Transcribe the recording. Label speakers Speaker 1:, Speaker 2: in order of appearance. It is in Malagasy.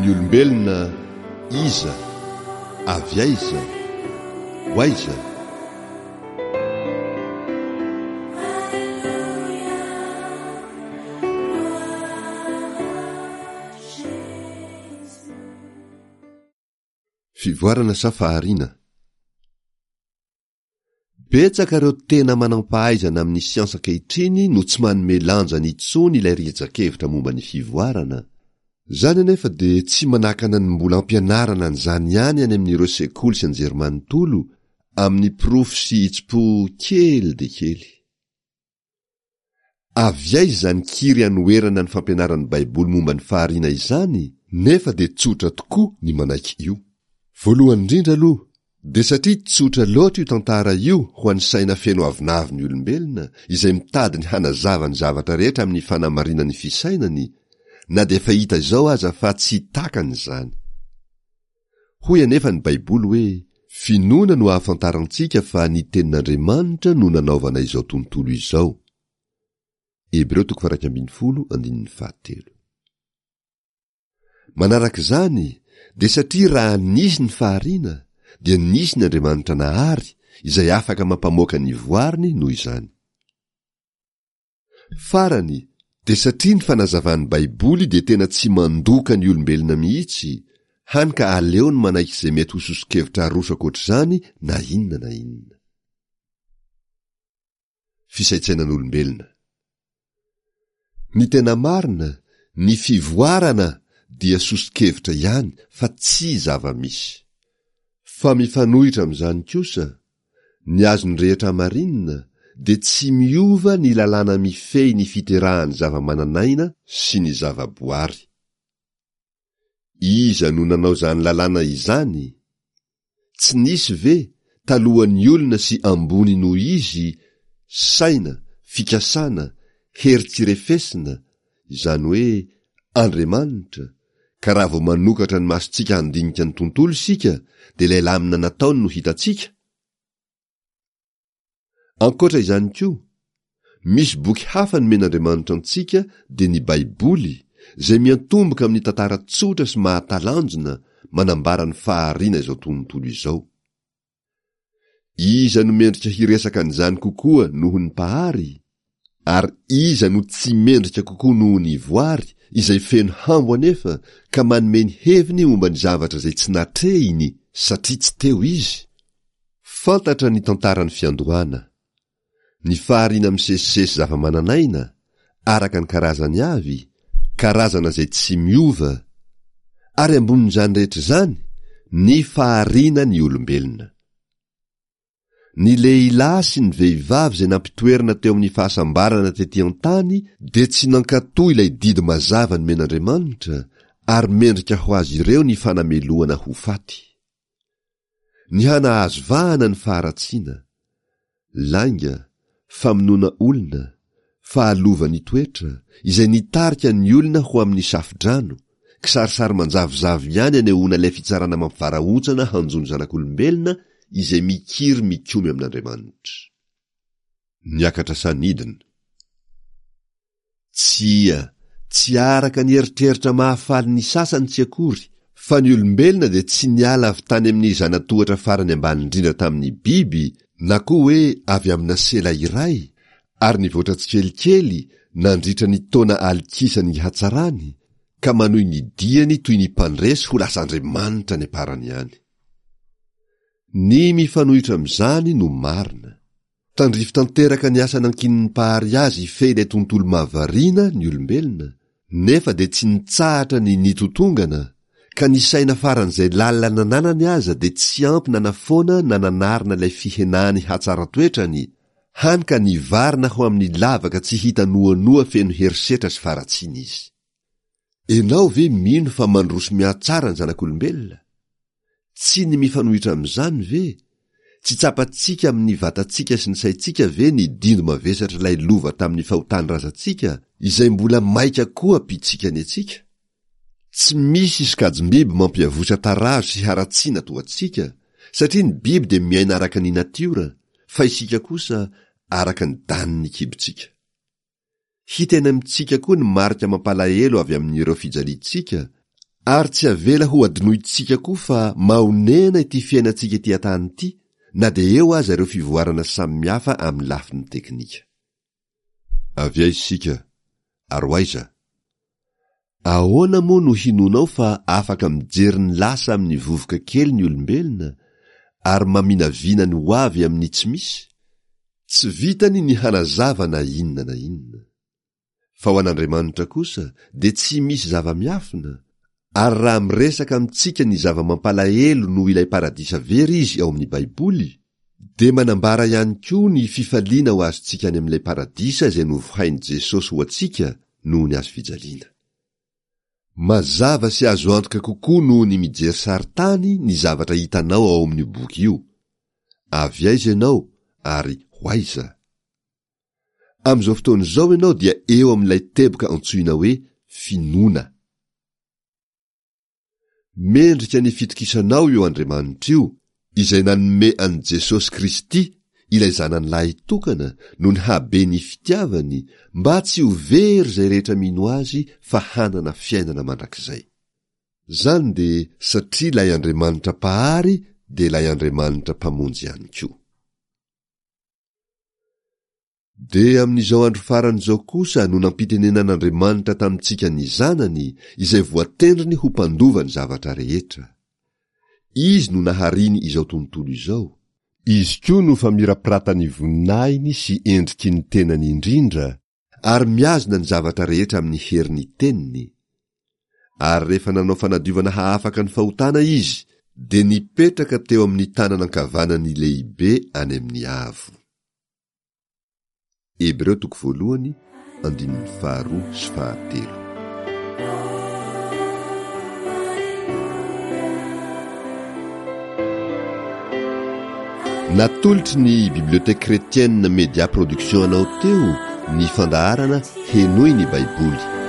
Speaker 1: Ny olombelona iza? Avy aiza? Ho aiza? Fivoarana sa fahariana? Betsaka ireo tena manam-pahaizana amin'ny siansa ankehitriny no tsy manome lanjany intsony ilay rijan-kevitra momba ny fivoarana. Izany anefa dia tsy manakana ny mbola ampianarana an'izany ihany any amin'ireo sekoly sy anjerimanontolo amin'ny porofo sy hitsim-po kely dia kely. Avy aiza izany kiry anoherana ny fampianaran'ny Baiboly momba ny fahariana izany? Nefa dia tsotra tokoa ny manaiky io. Voalohany indrindra aloha, dia satria tsotra loatra io tantara io ho an'ny saina feno avonavon'ny olombelona izay mitady ny hanazava ny zavatra rehetra amin'ny fanamarinan'ny fisainany, na dia efa hita izao aza fa tsy takany izany. Hoy anefa ny Baiboly hoe, Finoana no ahafantarantsika fa ny Tenin'Andriamanitra no nanaovana izao tontolo izao. Hebreo toko faha-11 andininy fahatelo. Manaraka izany, dia satria raha nisy ny fahariana, dia nisy ny Andriamanitra Nahary, izay afaka mampamoaka ny voariny noho izany. Farany, dia satria ny fanazavan'ny Baiboly dia tena tsy mandoka ny olombelona mihitsy, hany ka aleony manaiky izay mety ho soso-kevitra aroso ankoatr'izany na inona na inona. Fisaintsainan'olombelona. Ny tena marina, ny fivoarana dia soso-kevitra ihany fa tsy zava-misy. Fa mifanohitra amin'izany kosa, Ny azon'ny rehetra hamarinina dia tsy miova ny lalàna mifehy ny fiterahan'ny zava-manan'aina sy ny zavaboary. Iza no nanao izany lalàna izany? Tsy nisy ve, talohan'ny olona sy ambony noho izy, saina, fikasana, hery tsy refesina, izany hoe Andriamanitra, ka raha vao manokatra ny masontsika handinika ny tontolo isika dia ilay lamina nataony no hitantsika? Ankoatra izany koa, misy boky hafa nomen'Andriamanitra antsika dia ny Baiboly, izay miantomboka amin'ny tantara tsotra sy mahatalanjona manambara ny fahariana izao tontolo izao. Iza no mendrika hiresaka an'izany kokoa noho ny Mpahary? Ary iza no tsy mendrika kokoa noho ny voary izay feno hambo anefa ka manome ny heviny momba ny zavatra izay tsy natrehiny satria tsy teo izy? Fantatra ny tantaran'ny fiandohana. Ny fahariana misesisesy zava-manan'aina, araka ny karazany avy, karazana izay tsy miova, ary ambonin'izany rehetra izany, ny fahariana ny olombelona. Ny lehilahy sy ny vehivavy izay nampitoerina teo amin'ny fahasambarana tetỳ an-tany dia tsy nankatò ilay didy mazava nomen'Andriamanitra, ary mendrika ho azy ireo ny fanamelohana ho faty. Nihanahazo vahana ny faharatsiana, lainga, famonoana olona, fahalovan'ny toetra, izay nitarika ny olona ho amin'ny safodrano, kisarisary manjavozavo ihany anehoana ilay fitsarana mampivarahontsana hanjo ny zanak'olombelona izay mikiry mikomy amin'Andriamanitra. Niakatra sa nidina? Tsia, tsy araka ny eritreritra mahafaly ny sasany tsy akory, fa ny olombelona dia tsy niala avy tany amin'ny zanatohatra farany ambany indrindra tamin'ny biby, na koa hoe avy amina sela iray, ary nivoatra tsikelikely nandritra ny taona alikisa ny hatsarany, ka manohy ny diany toy ny mpandresy ho lasa andriamanitra any am-parany ihany. Ny mifanohitra amin'izany no marina. Tandrify tanteraka ny asa nankinin'ny Mpahary azy hifehy ilay tontolo mahavariana ny olombelona, nefa dia tsy nitsahatra ny nitotongana, ka ny saina faran'izay lalina nananany aza dia tsy ampy nanafoana na nanarina ilay fihenany hatsaran-toetrany, hany ka nivarina ho amin'ny lavaka tsy hita noanoa feno herisetra sy faharatsiana izy. Enao ve mino fa mandroso mihatsara ny zanak'olombelona? Tsy ny mifanohitra amin'izany ve? Tsy tsapantsika amin'ny vatantsika sy ny saintsika ve ny dindo mavesatr'ilay lova tamin'ny fahotan'ny razantsika izay mbola maika koa mpitsika ny antsika? Tsy misy sokajim-biby mampiavosa tarazo sy haratsiana toa antsika, satria ny biby dia miaina araka ny natiora, fa isika kosa araka ny danin'ny kibontsika. Hita eny amintsika koa ny marika mampalahelo avy amin'ireo fijaliantsika, Ary tsy avela ho adinointsika koa fa mahonena ity fiainantsika ety an-tany ity na dia eo aza ireo fivoarana samihafa amin'ny lafiny teknika. Avy aiza isika ary ho aiza? Ahoana moa no hinoanao fa afaka mijery ny lasa amin'ny vovoka kely ny olombelona ary maminavina ny hoavy amin'ny tsy misy? Tsy vitany ny hanazava na inona na inona. Fa ho an'Andriamanitra kosa dia tsy misy zava-miafina, ary raha miresaka amintsika ny zava-mampalahelo noho ilay paradisa very izy ao amin'ny Baiboly, dia manambara ihany koa ny fifaliana ho azontsika any amin'ilay paradisa izay novohain'i Jesosy ho antsika noho ny hazofijaliana. Mazava sy azo antoka kokoa noho ny mijery sarintany ny zavatra hitanao ao amin'io boky io. Avy aiza ianao ary ho aiza? Amin'izao fotoana izao ianao dia eo amin'ilay teboka antsoina hoe finoana. Mendrika ny fitokisanao io Andriamanitra io, izay nanome an'i Jesosy Kristy, ilay Zanany lahitokana, noho ny haben'ny fitiavany, mba tsy ho very izay rehetra mino Azy fa hanana fiainana mandrakizay. Izany dia satria ilay Andriamanitra Mpahary dia ilay Andriamanitra Mpamonjy ihany koa. Dia amin'izao andro farany izao kosa no nampitenenan'Andriamanitra tamintsika ny Zanany izay voatendriny ho mpandova ny zavatra rehetra. Izy no nahariany izao tontolo izao. Izy koa no famirapiratan'ny voninahiny sy endriky ny tenany indrindra, ary mihazona ny zavatra rehetra amin'ny herin'ny teniny. Ary rehefa nanao fanadiovana hahafaka ny fahotana izy, dia nipetraka teo amin'ny tanana ankavanan'ny Lehibe any amin'ny avo. Hebreo toko voalohany, andininy faharoa sy fahatelo. Natolotry ny Bibliothèque Chrétienne Media Production anao teo ny fandaharana Henoy ny Baiboly.